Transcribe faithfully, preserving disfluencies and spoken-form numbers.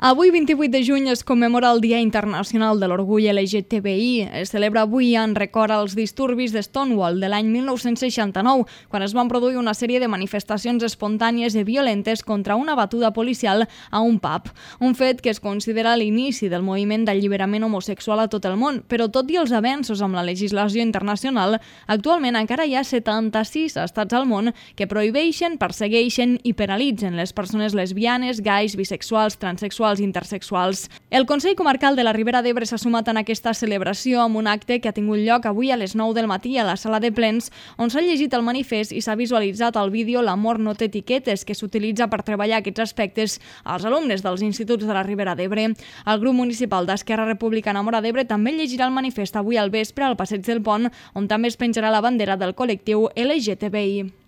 Avui, vint-i-vuit de juny, es commemora el Dia Internacional de l'Orgull L G T B I. Es celebra avui en record als disturbis de Stonewall de l'any mil nou-cents seixanta-nou, quan es van produir una sèrie de manifestacions espontànies i violentes contra una batuda policial a un pub. Un fet que es considera l'inici del moviment d'alliberament homosexual a tot el món, però tot i els avenços amb la legislació internacional, actualment encara hi ha setanta-sis estats al món que prohibeixen, persegueixen i penalitzen les persones lesbianes, gais, bisexuals, transexuals i intersexuals. El Consell Comarcal de la Ribera d'Ebre s'ha sumat en aquesta celebració amb un acte que ha tingut lloc avui a les nou del matí a la sala de plens, on s'ha llegit el manifest i s'ha visualitzat al vídeo L'amor no té etiquetes, que s'utilitza per treballar aquests aspectes als alumnes dels instituts de la Ribera d'Ebre. El grup municipal d'Esquerra Republicana Móra d'Ebre també llegirà el manifest avui al vespre al Passeig del Pont, on també es penjarà la bandera del col·lectiu L G T B I.